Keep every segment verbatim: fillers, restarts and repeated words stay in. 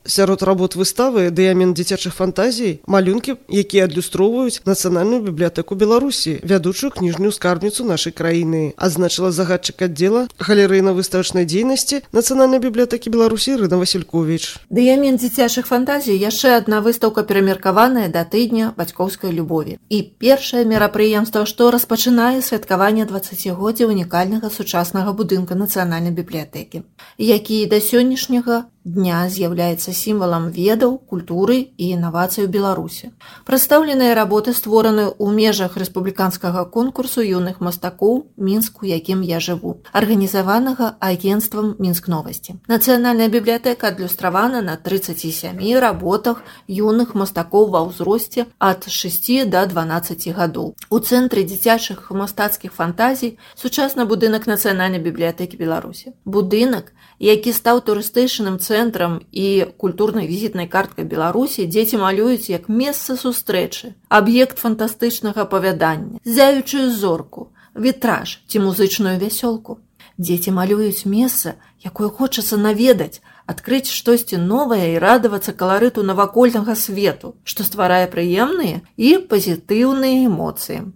Сярод работ выставы дыямент дзіцячых фантазій малюнкі, якія адлюстроўваюць Нацыянальную бібліятэку Беларусі, вядучую кніжную скарбніцу нашай краіны, адзначыла загадчык аддзела галерэйна-выставачнай дзейнасці Нацыянальнай бібліятэкі Беларусі Ірына Васількевіч. Дыямент дзіцячых фантазій яшчэ адна выстаўка перамеркаваная да тыдня бацькоўскай любові. І першае мерапрыемства, што распачынае святкаванне дваццацігоддзя унікальнага сучаснага будынка Нацыянальнай бібліятэкі, які да сённяшняга дня з'яўляецца сімвалам ведаў, культуры і інавацый у Беларусі. Прадстаўленыя работы створаны ў межах рэспубліканскага конкурсу юных мастакоў «Мінск, у якім я жыву», арганізаванага агенцтвам «Мінск-новасці». Нацыянальная бібліятэка адлюстравана на трыццаці сямі работах юных мастакоў ва ўзросце ад шасці да дванаццаці гадоў. У цэнтры дзіцячых мастацкіх фантазій сучасны будынак Нацыянальнай бібліятэкі Беларусі. Будынак, які стаў турыстычным цэнтрам і культурнай візітнай карткай Беларусі, дзеці малююць як месца сустрэчы, аб'ект фантастычнага апавядання, зяючую зорку, вітраж ці музычную вясёлку. Дзеці малююць месца, якое хочацца наведаць, адкрыць штосьці новае і радавацца каларыту навакольнага свету, што стварае прыемныя і пазітыўныя эмоцыі.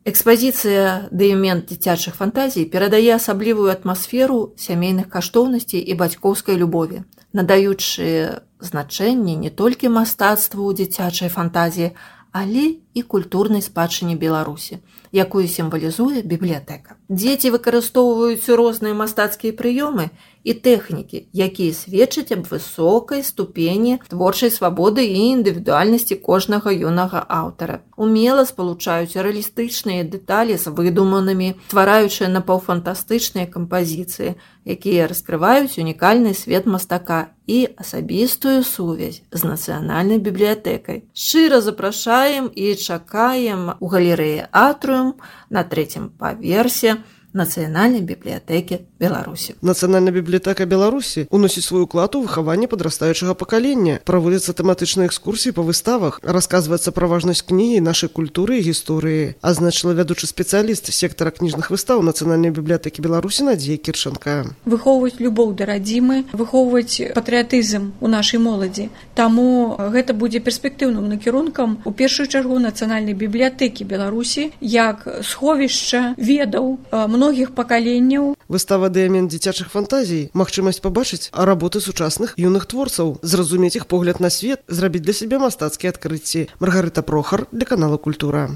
Экспазіцыя «Дыямент дзіцячых фантазій» перадае асаблівую атмасферу сямейных каштоўнасцей і бацькоўскай любові, надаючы значэнне не толькі мастацтву дзіцячай фантазіі, але і культурнай спадчыне Беларусі, якую сімвалізуе бібліятэка. Дзеці выкарыстоўваюць розныя мастацкія прыёмы і тэхнікі, якія сведчаць аб высокай ступені творчай свабоды і індывідуальнасці кожнага юнага аўтара. Умела спалучаюць рэалістычныя дэталі з выдуманымі, ствараючы напаўфантастычныя кампазіцыі, якія раскрываюць унікальны свет мастака і асабістую сувязь з Нацыянальнай бібліятэкай. Шчыра запрашаем і чакаем у галерэі «Атрыум» на трэцім паверсе Нацыянальнай бібліятэкі Беларусі. Нацыянальная бібліятэка Беларусі уносіць свой уклад у выхаванне падрастаючага пакалення. Праводзяцца тэматычныя экскурсіі па выставах, расказваецца пра важнасць кнігі, нашай культуры і гісторыі, азначыла вядучы спецыяліст сектара кніжных выстаў Нацыянальнай бібліятэкі Беларусі Надзея Кірчанка. Выхоўваць любоў да радзімы, выхоўваць патрыятызм у нашай моладзі. Таму гэта будзе перспектыўным накірункам у першую чаргу Нацыянальнай бібліятэкі Беларусі як сховішча ведаў многіх пакаленняў. Выстава «Дыямент дзіцячых фантазій» – магчымасць пабачыць работы сучасных юных творцаў, зразумець іх погляд на свет, зрабіць для сябе мастацкія адкрыцці. Маргарыта Прохар для канала «Культура».